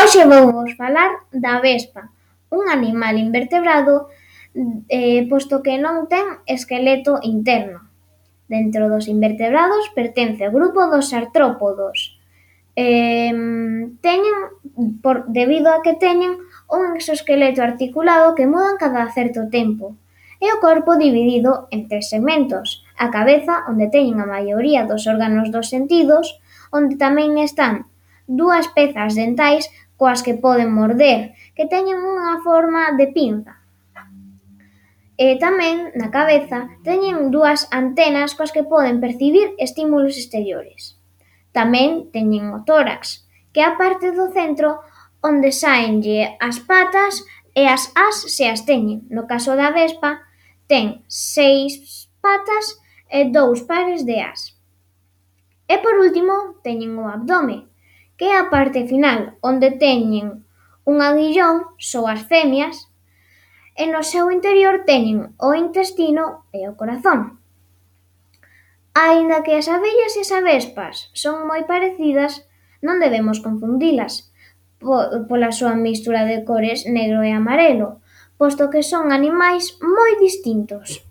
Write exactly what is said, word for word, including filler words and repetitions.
Hoxe vouvos falar da vespa, un animal invertebrado, eh, posto que non ten esqueleto interno. Dentro dos invertebrados pertence ao grupo dos artrópodos. Eh, teñen, por, debido a que teñen un exoesqueleto articulado que mudan cada certo tempo, e o corpo dividido en tres segmentos: a cabeza, onde teñen a maioría dos órganos dos sentidos, onde tamén están dúas pezas dentais coas que poden morder, que teñen unha forma de pinza. E tamén, na cabeza, teñen dúas antenas coas que poden percibir estímulos exteriores. Tamén teñen o tórax, que é a parte do centro onde sáenlle as patas e as ás se as teñen. No caso da vespa, ten seis patas e dous pares de ás. E por último, teñen o abdome, que é a parte final, onde teñen un aguillón, só as femias, e no seu interior teñen o intestino e o corazón. Aínda que as abellas e as avespas son moi parecidas, non debemos confundilas pola súa mestura de cores negro e amarelo, posto que son animais moi distintos.